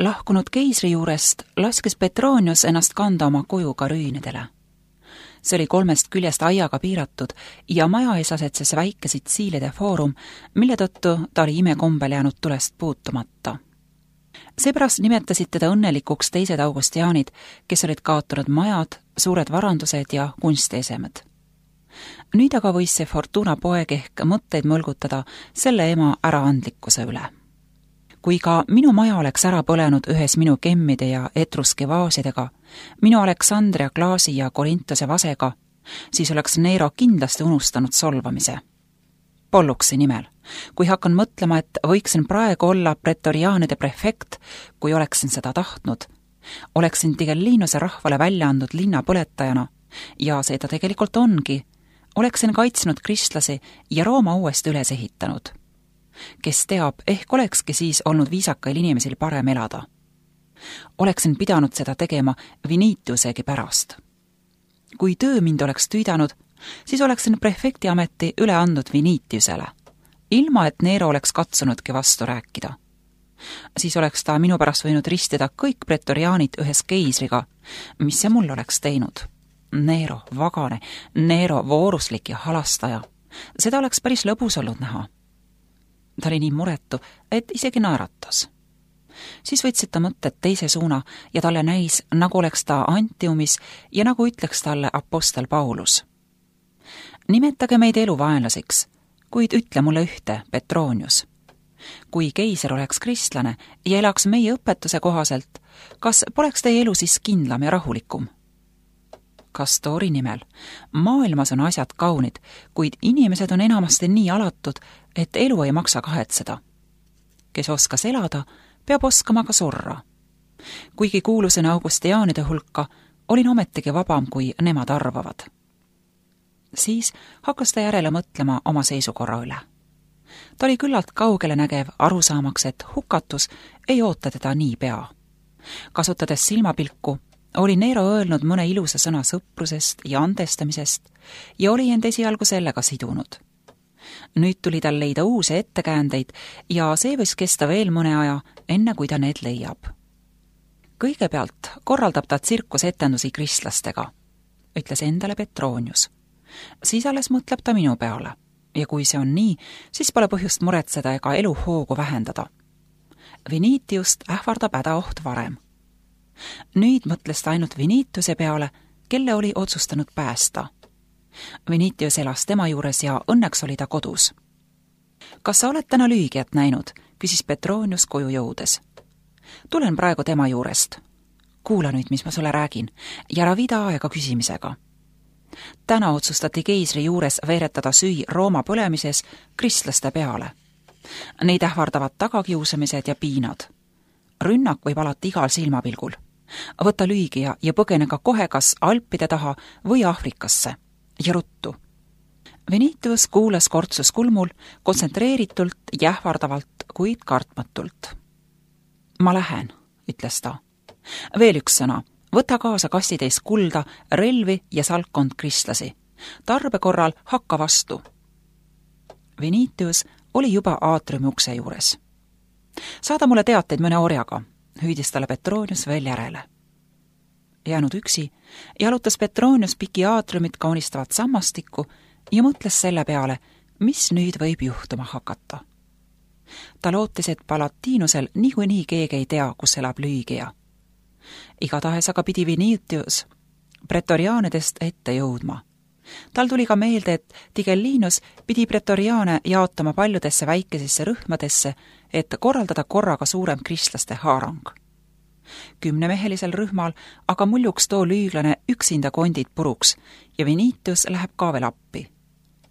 Lahkunud keisri juurest laskis Petronius ennast kanda oma kojuga rüünidele. See oli 3 küljest aiaga piiratud ja maja ees asetses väike Sitsiilide foorum, mille tõttu ta oli imekombel jäänud tulest puutumata. Seepärast nimetasid teda õnnelikuks teised augustiaanid, kes olid kaotanud majad, suured varandused ja kunstiesemed. Nüüd aga võis see Fortuna poeg ehk mõtteid mõlgutada selle ema äraandlikkuse üle. Kui ka minu maja oleks ära põlenud ühes minu kemmide ja etruski vaasidega, minu Aleksandria klaasi ja Korintose vasega, siis oleks Nero kindlasti unustanud solvamise. Polluksi nimel, kui hakkan mõtlema, et võiksin praegu olla pretoriaanide prefekt, kui oleksin seda tahtnud, oleksin Tigellinuse rahvale välja andnud linna põletajana, ja see ta tegelikult ongi, oleksin kaitsnud kristlasi ja Rooma uuesti üles ehitanud. Kes teab, ehk olekski siis olnud viisakail inimesil parem elada. Oleksin pidanud seda tegema Vinitiusegi pärast. Kui töö mind oleks tüüdanud, siis oleksin prefekti ameti üle andnud Vinitiusele, ilma et Nero oleks katsunudki vastu rääkida. Siis oleks ta minu pärast võinud ristida kõik pretoriaanid ühes keisriga, mis see mul oleks teinud. Nero, vagane, Nero vooruslik ja halastaja. Seda oleks päris lõbus olnud näha. Ta oli nii muretu, et isegi naeratas. Siis võtsid ta mõtted teise suuna ja talle näis, nagu oleks ta Antiumis ja nagu ütleks talle apostel Paulus. Nimetage meid eluvaenlaseks, kuid ütle mulle ühte, Petronius. Kui keiser oleks kristlane ja elaks meie õpetuse kohaselt, kas poleks teie elu siis kindlam ja rahulikum? Kastori nimel. Maailmas on asjad kaunid, kuid inimesed on enamasti nii alatud, et elu ei maksa kahetseda. Kes oskas elada, peab oskama ka surra. Kuigi kuulusin augustiaanide hulka, olin ometigi vabam, kui nemad arvavad. Siis hakkas ta järele mõtlema oma seisukorra üle. Ta oli küllalt kaugele nägev arusaamaks, et hukatus ei oota teda nii pea. Kasutades silmapilku, oli Nero öelnud mõne ilusa sõna sõprusest ja andestamisest ja oli end esialgu sellega sidunud. Nüüd tuli tal leida uusi ettekäändeid ja see võis kesta veel mõne aja, enne kui ta need leiab. Kõigepealt korraldab ta tsirkusetendusi kristlastega, ütles endale Petronius. Siis alles mõtleb ta minu peale ja kui see on nii, siis pole põhjust muretseda ega elu hoogu vähendada. Vinitiust ähvardab hädaoht varem. Nüüd mõtles ta ainult Vinitiuse peale, kelle oli otsustanud päästa. Vinitius elas tema juures ja õnneks oli ta kodus. Kas sa oled täna lüügiat näinud, küsis Petronius koju jõudes. Tulen praegu tema juurest. Kuula nüüd, mis ma sulle räägin, ja ära vida aega küsimisega. Täna otsustati keisri juures veeretada süü Rooma põlemises kristlaste peale. Neid ähvardavad tagakiusamised ja piinad. Rünnak võib alati igal silmapilgul. Võta lüügia ja põgene ka kohe kas Alpide taha või Aafrikasse. Ja ruttu. Vinitius kuulas kortsus kulmul kontsentreeritult ja ähvardavalt, kuid kartmatult. Ma lähen, ütles ta. Veel üks sõna. Võta kaasa kastitäis kulda, relvi ja salkkond kristlasi. Tarbe korral hakka vastu. Vinitius oli juba aatriumi ukse juures. Saada mulle teateid mõne orjaga, hüüdis talle Petronius veel järele. Jäänud üksi, jalutas Petronius piki aatriumit kaunistavat sammastikku ja mõtles selle peale, mis nüüd võib juhtuma hakata. Ta lootis, et Palatiinusel niikuinii keegi ei tea, kus elab lüügia. Igatahes aga pidi Vinitius pretoriaanidest ette jõudma. Tal tuli ka meelde, et Tigellinus pidi pretoriaane jaotama paljudesse väikesesse rühmadesse, et korraldada korraga suurem kristlaste haarang. 10-mehelisel rühmal aga muljuks too lüüglane üksinda kondid puruks ja Vinitius läheb ka veel appi.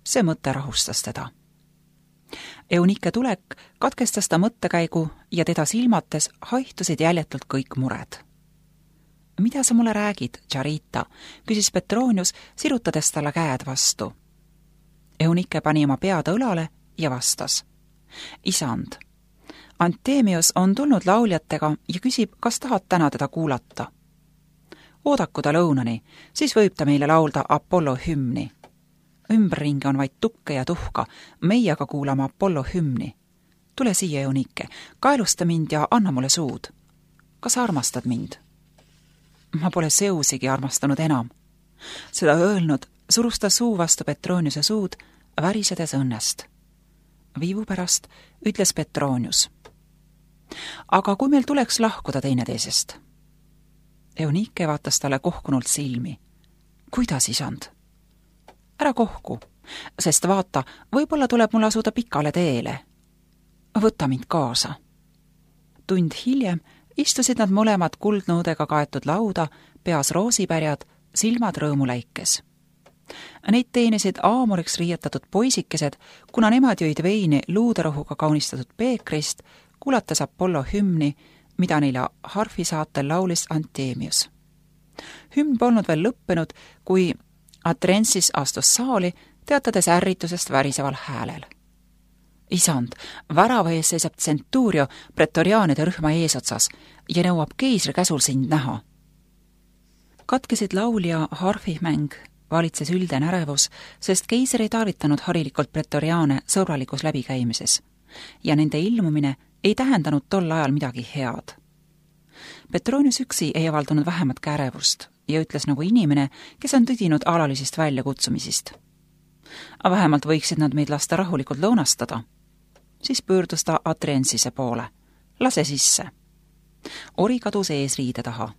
See mõte rahustas teda. Eunike tulek katkestas ta mõttekäigu ja teda silmates haihtusid jäljetult kõik mured. Mida sa mulle räägid, Charita, küsis Petronius, sirutades talle käed vastu. Eunike pani oma pead õlale ja vastas. Isand, Antemius on tulnud lauljatega ja küsib, kas tahad täna teda kuulata. Oodaku ta lõunani, siis võib ta meile laulda Apollo hümni. Ümberringi on vaid tukke ja tuhka, meie aga kuulame Apollo hümni. Tule siia, Eunike, kaelusta mind ja anna mulle suud. kas sa armastad mind? Ma pole Zeusigi armastanud enam. Seda öelnud surus ta suu vastu Petroniuse suud, värisedes õnnest. Viivu pärast ütles Petronius. Aga kui meil tuleks lahkuda teineteisest? Eunike vaatas talle kohkunult silmi. Kuidas, isand? Ära kohku, sest vaata, võib-olla tuleb mul asuda pikale teele. Võta mind kaasa. Tund hiljem istusid nad mõlemad kuldnõudega kaetud lauda, peas roosipärjad, silmad rõõmuläikes. Neid teenisid aamuriks riietatud poisikesed, kuna nemad jõid veini luuderohuga kaunistatud peekrist, kuulates Apollo hümni, mida neile harfi saatel laulis Anthemius. Hümn polnud veel lõppenud, kui Atrensis astus saali, teatades ärritusest väriseval häälel. Isand, värava ees seisab Centurio pretoriaanide rühma eesotsas ja nõuab keisri käsul sind näha. Katkesid laulja harfimäng, valitses ülden ärevus, sest keiser ei tarvitanud harilikult pretoriaane sõbralikus läbikäimises ja nende ilmumine ei tähendanud tol ajal midagi head. Petronius üksi ei avaldanud vähemat ärevust ja ütles nagu inimene, kes on tüdinud alalisest väljakutsumisist. Vähemalt võiksid nad meid lasta rahulikult lõunastada. Siis pöördus ta Atrensise poole. Lase sisse. Ori kadus eesriide taha.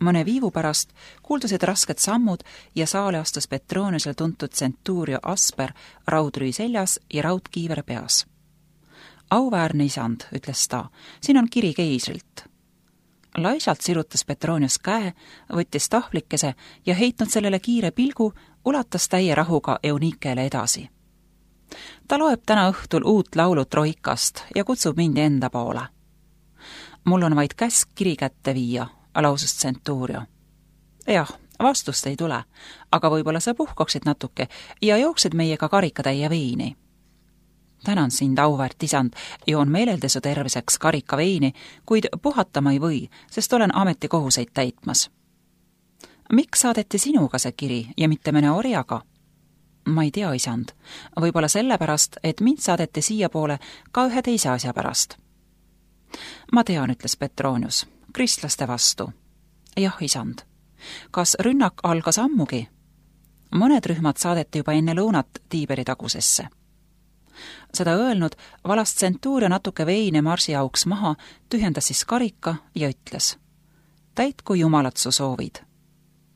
Mõne viivu pärast kuuldusid rasked sammud ja saale astus Petroniusel tuntud Centurio Asper raudrüü seljas ja raudkiiver peas. Auväärne isand, ütles ta, siin on kiri keisrilt. Laisalt sirutas Petronius käe, võttis tahvlikese ja heitnud sellele kiire pilgu, ulatas täie rahuga Eunikele edasi. Ta loeb täna õhtul uut laulu Troikast ja kutsub mind enda poole. Mul on vaid käsk kiri kätte viia, lausus Centurio. Jah, vastust ei tule, aga võib-olla sa puhkaksid natuke ja jooksid meiega karikatäie veini. Tänan sind, auväärt isand, joon meeleldesu terviseks karika veini, kuid puhatama ei või, sest olen ametikohuseid täitmas. Miks saadeti sinuga see kiri ja mitte mõne orjaga? Ma ei tea, isand. Võib-olla sellepärast, et mind saadeti siiapoole ka ühe teise asja pärast. Ma tean, ütles Petronius, kristlaste vastu. Jah, isand. Kas rünnak algas ammugi? Mõned rühmad saadeti juba enne lõunat Tiiberi tagusesse. Seda öelnud, valas Centurio natuke veine marsi auks maha, tühjendas siis karika ja ütles. Täitku jumalat su soovid.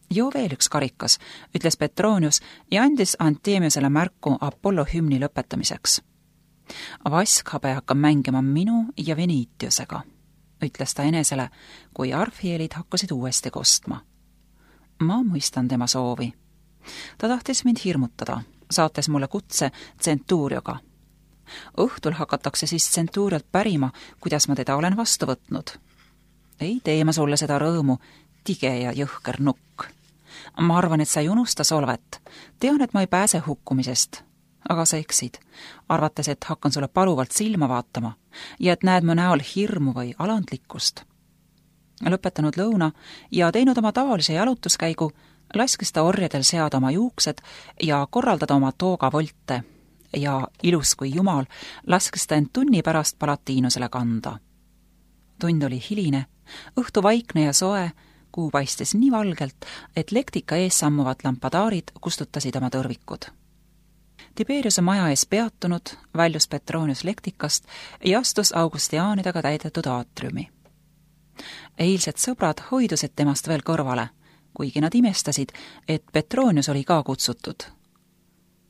Joo veel üks karikas, ütles Petronius ja andis Anthemiusele märku Apollo hümni lõpetamiseks. Vaskhabe hakkab mängima minu ja Venitiusega, ütles ta enesele, kui arfieelid hakkasid uuesti kostma. Ma mõistan tema soovi. Ta tahtis mind hirmutada, saates mulle kutse Centurioga. Õhtul hakatakse siis Centuriolt pärima, kuidas ma teda olen vastu võtnud. Ei tee ma sulle seda rõõmu, tige ja jõhker nukk. Ma arvan, et sa ei unusta solvet. Tean, et ma ei pääse hukkumisest. Aga sa eksid, arvates, et hakkan sulle paluvalt silma vaatama ja et näed mu näol hirmu või alandlikkust. Lõpetanud lõuna ja teinud oma tavalise jalutuskäigu, laskis ta orjadel seada oma juuksed ja korraldada oma toogavolte ja ilus kui jumal laskis ta end tunni pärast Palatiinusele kanda. Tund oli hiline, õhtu vaikne ja soe, kuu paistis nii valgelt, et lektika ees sammuvad lampadaarid kustutasid oma tõrvikud. Tiberiuse maja ees peatunud, väljus Petronius lektikast ja astus augustiaanidega täidetud aatriumi. Eilsed sõbrad hoidusid temast veel kõrvale, kuigi nad imestasid, et Petronius oli ka kutsutud.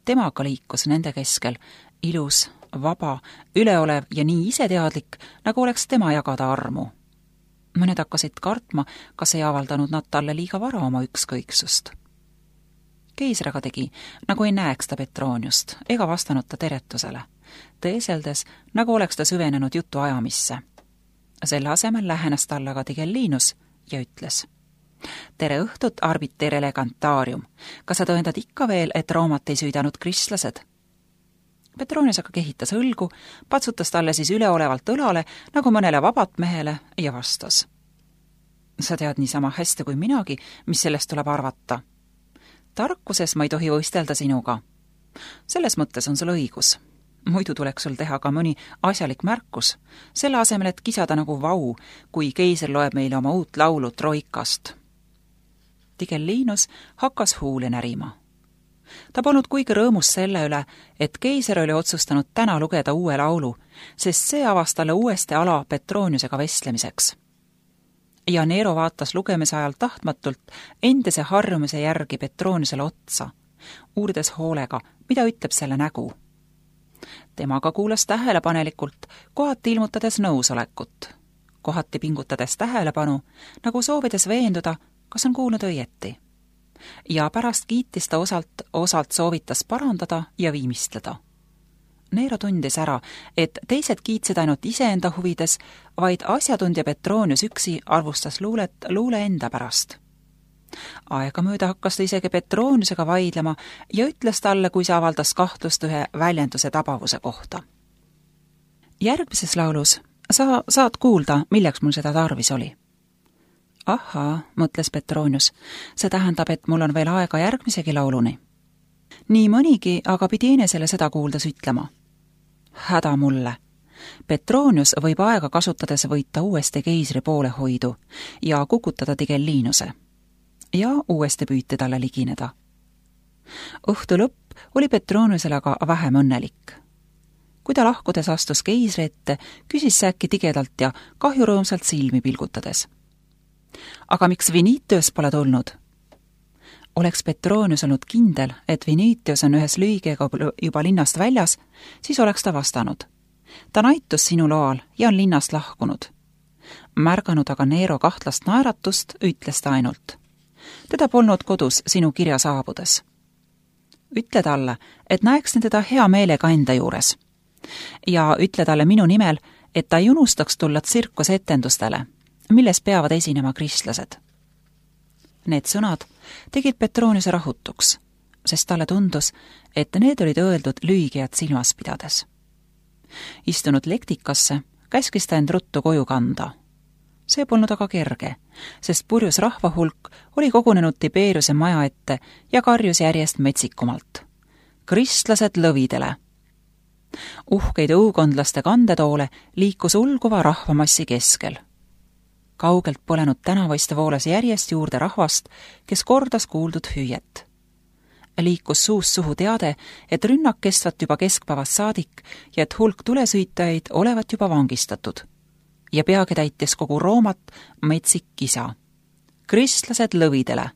Temaga liikus nende keskel, ilus, vaba, üleolev ja nii iseteadlik, nagu oleks tema jagada armu. Mõned hakkasid kartma, kas ei avaldanud nad talle liiga vara oma ükskõiksust. Keisr aga tegi, nagu ei näeks ta Petroniust ega vastanud ta teretusele, teeseldes, nagu oleks ta süvenenud jutu ajamisse. Selle asemel lähenes talle aga Tigellinus ja ütles: Tere õhtut, arbiter elegantarium. Kas sa tõendad ikka veel, et Roomat ei süüdanud kristlased? Petronius aga kehitas õlgu, patsutas talle siis üleolevalt õlale, nagu mõnele vabat mehele, ja vastas: Sa tead niisama hästi kui minagi, mis sellest tuleb arvata. Tarkuses ma ei tohi võistelda sinuga. Selles mõttes on sul õigus. Muidu tuleks sul teha ka mõni asjalik märkus, selle asemel, et kisada nagu vau, kui keiser loeb meile oma uut laulu Troikast. Tigellinus hakkas huuli närima. Ta polnud kuigi rõõmus selle üle, et keiser oli otsustanud täna lugeda uue laulu, sest see avas talle uuesti ala Petroniusega vestlemiseks. Ja Nero vaatas lugemise ajal tahtmatult endise harjumise järgi Petroniusele otsa, uurides hoolega, mida ütleb selle nägu. Temaga kuulas tähelepanelikult, kohati ilmutades nõusolekut, kohati pingutades tähelepanu, nagu soovides veenduda, kas on kuulnud õieti. Ja pärast kiitis ta osalt soovitas parandada ja viimistleda. Nero tundis ära, et teised kiitsid ainult iseenda huvides, vaid asjatundja Petronius üksi arvustas luule enda pärast. Aegamööda hakkas ta isegi Petroniusega vaidlema ja ütles talle, kui see avaldas kahtlust ühe väljenduse tabavuse kohta. Järgmises laulus sa saad kuulda, milleks mul seda tarvis oli. Ahaa, mõtles Petronius, see tähendab, et mul on veel aega järgmisegi lauluni. Nii mõnigi aga pidi enesele seda kuuldes ütlema. Häda mulle. Petronius võib aega kasutades võita uuesti keisri poolehoidu ja kukutada Tigellinuse. Ja uuesti püüti talle ligineda. Õhtu lõpp oli Petroniusele aga vähem õnnelik. Kui ta lahkudes astus keisri ette, küsis see äkki tigedalt ja kahjurõõmsalt silmi pilgutades. Aga miks Vinitius pole tulnud? Oleks Petronius olnud kindel, et Vinitius on ühes lühigega juba linnast väljas, siis oleks ta vastanud. Ta naitus sinu loal ja on linnast lahkunud. Märganud aga Nero kahtlast naeratust, ütles ta ainult. Teda polnud kodus sinu kirja saabudes. Ütle talle, et näeksin teda hea meelega enda juures. Ja ütle talle minu nimel, et ta ei unustaks tulla tsirkusetendustele, milles peavad esinema kristlased. Need sõnad tegid Petroniuse rahutuks, sest talle tundus, et need olid öeldud lühigejad silmas pidades. Istunud lektikasse, käskis ta end ruttu koju kanda. See polnud aga kerge, sest purjus rahvahulk oli kogunenud Tiberiuse maja ette ja karjus järjest metsikumalt. Kristlased lõvidele! Uhkeid õukondlaste kandetoole liikus ulguva rahvamassi keskel. Kaugelt põlenud tänavaiste voolas järjest juurde rahvast, kes kordas kuuldud hüüet. Liikus suust suhu teade, et rünnak kestvat juba keskpäevast saadik ja et hulk tulesõitajaid olevat juba vangistatud. Ja peagi täitis kogu Roomat metsik kisa. Kristlased lõvidele!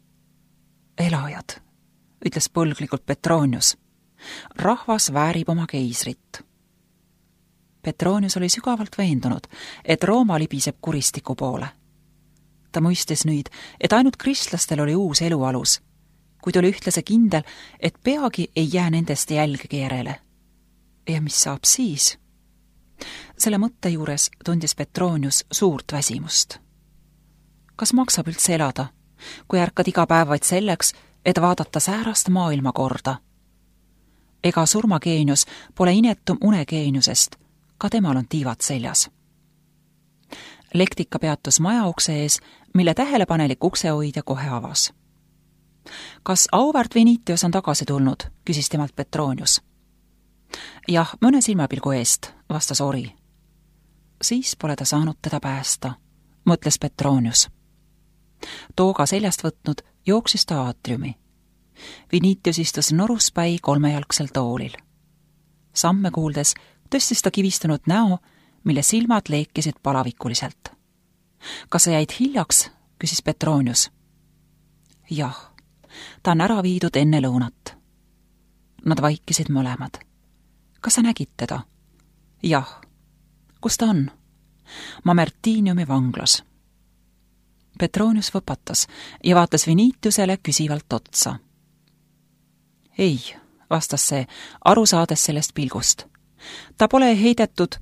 Elajad, ütles põlglikult Petronius. Rahvas väärib oma keisrit. Petronius oli sügavalt veendunud, et Rooma libiseb kuristiku poole. Ta mõistis nüüd, et ainult kristlastel oli uus elualus, kuid oli ühtlase kindel, et peagi ei jää nendest jälgegi järele. Ja mis saab siis? Selle mõtte juures tundis Petronius suurt väsimust. Kas maksab üldse elada, kui ärkad iga päev vaid selleks, et vaadata säärast maailmakorda? Ega surmageenius pole inetum unegeeniusest, ka temal on tiivad seljas. Lektika peatus maja ukse ees, mille tähelepanelik uksehoidja kohe avas. Kas auväärt Vinitius on tagasi tulnud, küsis temalt Petronius. Jah, mõne silmapilgu eest, vastas ori. Siis pole ta saanud teda päästa, mõtles Petronius. Tooga seljast võtnud jooksis ta aatriumi. Vinitius istus noruspäi kolmejalgsel toolil. Samme kuuldes tõstis ta kivistunud näo, mille silmad leekisid palavikuliselt. Kas sa jäid hiljaks, küsis Petronius. Jah, ta on ära viidud enne lõunat. Nad vaikisid mõlemad. Kas sa nägid teda? Jah. Kus ta on? Mamertiniumi vanglas. Petronius võpatas ja vaatas Vinitiusele küsivalt otsa. Ei, vastas see, aru saades sellest pilgust. Ta pole heidetud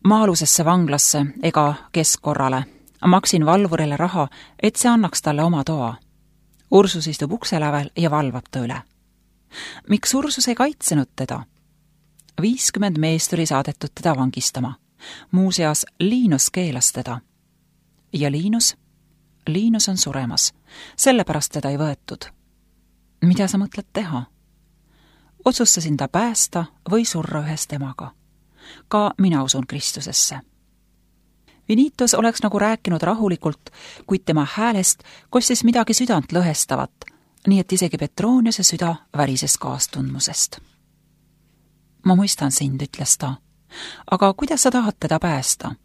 maalusesse vanglasse ega keskkorrale. Maksin valvurile raha, et see annaks talle oma toa. Ursus istub ukselävel ja valvab ta üle. Miks Ursus ei kaitsenud teda? 50 meest oli saadetud teda vangistama. Muuseas, Linus keelas teda. Ja Linus on suremas. Sellepärast teda ei võetud. Mida sa mõtled teha? otsustasin ta päästa või surra ühes temaga. Ka mina usun Kristusesse. Vinitus oleks nagu rääkinud rahulikult, kuid tema häälest kostis midagi südant lõhestavat, nii et isegi Petroniuse süda värises kaastundmusest. Ma mõistan sind, ütles ta, aga kuidas sa tahad teda päästa?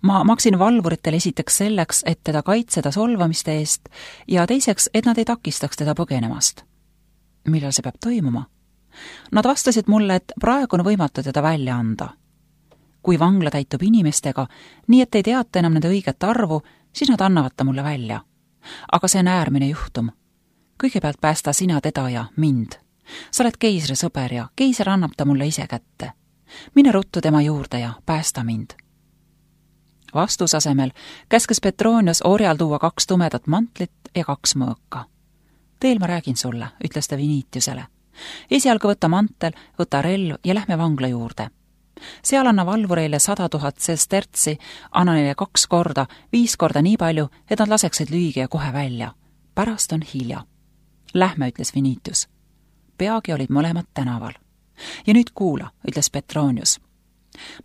Ma maksin valvuritel esiteks selleks, et teda kaitseda solvamiste eest ja teiseks, et nad ei takistaks teda põgenemast. Millal see peab toimuma? Nad vastasid mulle, et praegu on võimatu teda välja anda. Kui vangla täitub inimestega, nii et ei teata enam nende õiget arvu, siis nad annavad ta mulle välja. Aga see on äärmine juhtum. Kõigepealt päästa sina teda ja mind. Sa oled keisri sõber ja keiser annab ta mulle ise kätte. Mine ruttu tema juurde ja päästa mind. Vastusasemel käskes Petronius orjal tuua 2 tumedat mantlit ja 2 mõõka. Teel ma räägin sulle, ütles ta Vinitiusele. Esialgu võta mantel, võta relv ja lähme vangla juurde. Seal anna valvureile 100 000 sestertsi, anna neile 2 korda, 5 korda nii palju, et nad laseksid lüügi ja kohe välja. Pärast on hilja. Lähme, ütles Vinitius. Peagi olid mõlemad tänaval. Ja nüüd kuula, ütles Petronius.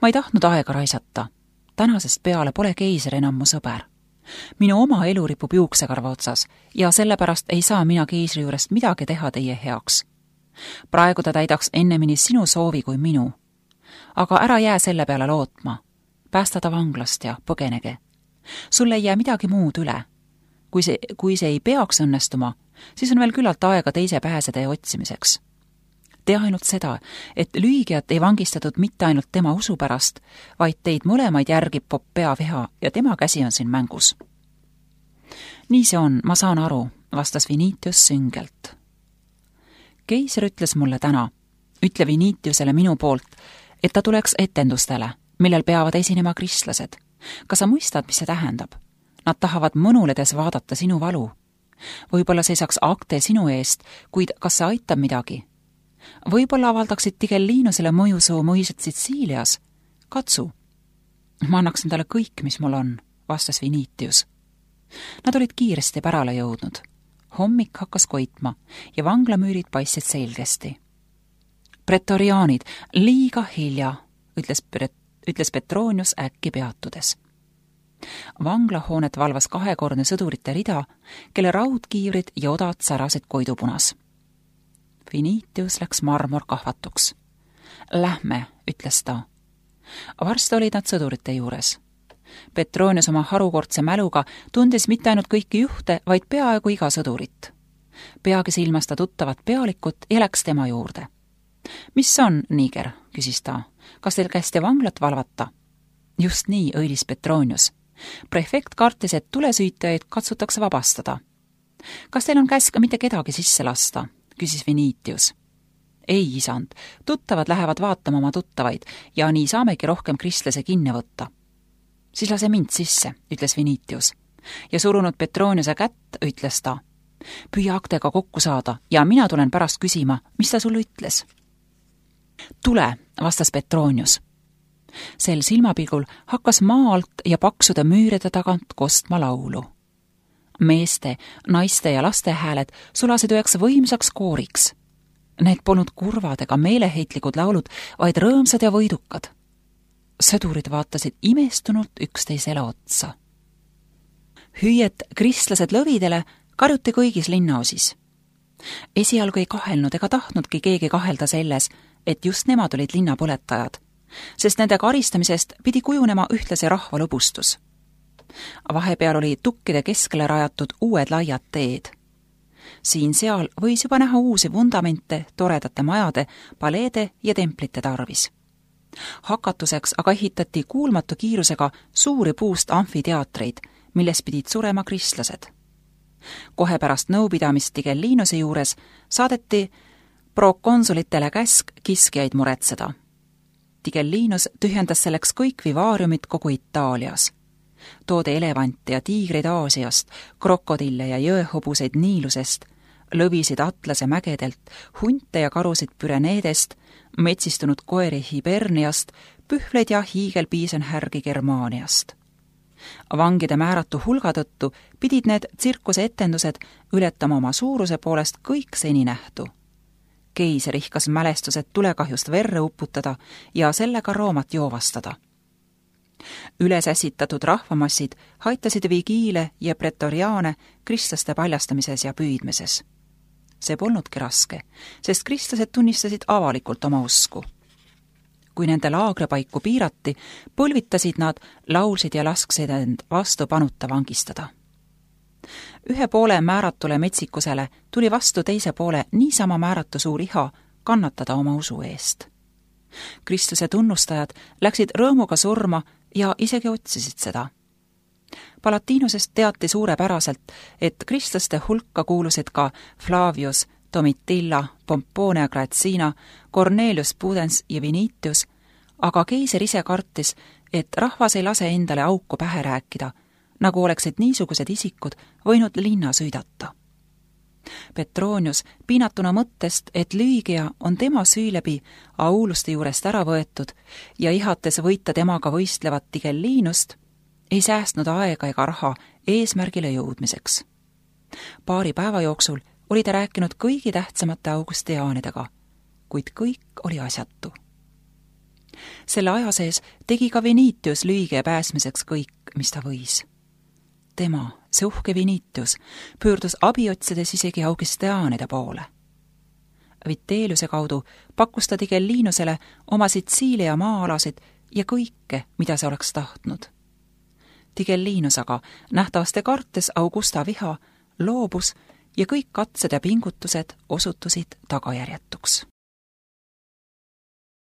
Ma ei tahtnud aega raisata. Tänasest peale pole keiser enam mu sõber. Minu oma elu ripub juuksekarva otsas ja sellepärast ei saa mina keisri juurest midagi teha teie heaks. Praegu ta täidaks ennemini sinu soovi kui minu. Aga ära jää selle peale lootma. Päästa ta vanglast ja põgenege. Sul ei jää midagi muud üle. Kui see ei peaks õnnestuma, siis on veel küllalt aega teise pääsede otsimiseks. Tee ainult seda, et lüügijat ei vangistatud mitte ainult tema usu pärast, vaid teid mõlemaid järgib Popea viha ja tema käsi on siin mängus. Nii see on, ma saan aru, vastas Vinitius süngelt. Keiser ütles mulle täna, ütle Vinitiusele minu poolt, et ta tuleks etendustele, millel peavad esinema kristlased. Kas sa mõistad, mis see tähendab? Nad tahavad mõnuledes vaadata sinu valu. Võib-olla seisaks akte sinu eest, kuid kas see aitab midagi? Võib-olla avaldaksid Tigellinusele mõjusoo mõised Sitsiilias. Katsu. Ma annaksin talle kõik, mis mul on, vastas Vinitius. Nad olid kiiresti pärale jõudnud. Hommik hakkas koitma ja vanglamüürid paistsid selgesti. Pretoriaanid, liiga hilja, ütles Petronius äkki peatudes. Vanglahoonet valvas 2-kordne sõdurite rida, kelle raudkiivrid ja odad särasid koidupunas. Vinitius läks marmorkahvatuks. Lähme, ütles ta. Varsti olid nad sõdurite juures. Petronius oma harukordse mäluga tundis mitte ainult kõiki juhte, vaid peaaegu iga sõdurit. Peagi silmas ta tuttavat pealikut ja läks tema juurde. Mis on, Niger, küsis ta. Kas teil kästi vanglat valvata? Just nii, õilis Petronius. Prefekt kartis, et tulesüütajaid katsutakse vabastada. Kas teil on käsk mitte kedagi sisse lasta? Küsis Vinitius. Ei, isand, tuttavad lähevad vaatama oma tuttavaid ja nii saamegi rohkem kristlase kinni võtta. Siis lase mind sisse, ütles Vinitius. Ja surunud Petroniuse kätt, ütles ta. Püüa aktega kokku saada ja mina tulen pärast küsima, mis ta sulle ütles. Tule, vastas Petronius. Sel silmapilgul hakkas maa alt ja paksude müüride tagant kostma laulu. Meeste, naiste ja laste hääled sulasid üheks võimsaks kooriks. Need polnud kurvad ega meeleheitlikud laulud, vaid rõõmsad ja võidukad. Sõdurid vaatasid imestunult üksteisele otsa. Hüüet kristlased lõvidele karjuti kõigis linnaosis. Esialgu ei kahelnud ega tahtnudki keegi kahelda selles, et just nemad olid linnapõletajad, sest nende karistamisest pidi kujunema ühtlasi rahva lõbustus. Vahepeal oli tukkide keskele rajatud uued laiad teed. Siin-seal võis juba näha uusi vundamente toredate majade, paleede ja templite tarvis. Hakatuseks aga ehitati kuulmatu kiirusega suuri puust amfiteatreid, milles pidid surema kristlased. Kohe pärast nõupidamist Tigellinuse juures saadeti prokonsulitele käsk kiskjaid muretseda. Tigellinus tühjendas selleks kõik vivaariumid kogu Itaalias. Toodi elevante ja tiigreid Aasiast, krokodille ja jõehobuseid Niilusest, lõvisid Atlase mägedelt, hunte ja karusid Püreneedest, metsistunud koeri Hiberniast, pühvleid ja hiigelpiisonhärgi Germaaniast. Vangide määratu hulga tõttu pidid need tsirkuse etendused ületama oma suuruse poolest kõik seni nähtu. Keiser ihkas mälestused tulekahjust verre uputada ja sellega Roomat joovastada. Üles ässitatud rahvamassid haitasid vigiile ja pretoriaane kristlaste paljastamises ja püüdmises. See polnudki raske, sest kristlased tunnistasid avalikult oma usku. Kui nende laagripaiku piirati, põlvitasid nad, laulsid ja lasksid end vastu panuta vangistada. Ühe poole määratule metsikusele tuli vastu teise poole niisama määratu suur iha kannatada oma usu eest. Kristuse tunnustajad läksid rõõmuga surma ja isegi otsisid seda. Palatinusest teati suurepäraselt, et kristlaste hulka kuulusid ka Flavius, Domitilla, Pomponia Graecina, Cornelius Pudens ja Vinitius, aga keiser ise kartis, et rahvas ei lase endale auku pähe rääkida, nagu oleksid niisugused isikud võinud linna süüdata. Petronius, piinatuna mõttest, et Lüügia on tema süü läbi Auluste juurest ära võetud ja ihates võita temaga võistlevat Tigellinust, ei säästnud aega ega raha eesmärgile jõudmiseks. Paari päeva jooksul oli ta rääkinud kõigi tähtsamate augustiaanidega, kuid kõik oli asjatu. Selle aja sees tegi ka Vinitius Lüügia pääsmiseks kõik, mis ta võis. Tema, see uhke Vinitius, pöördus abi otsides isegi augustiaanide poole. Vitelliuse kaudu pakkus ta Tigellinusele oma Sitsiilia maa-alasid ja kõike, mida see oleks tahtnud. Tigellinus aga, nähtavasti kartes Augusta viha, loobus ja kõik katsed ja pingutused osutusid tagajärjetuks.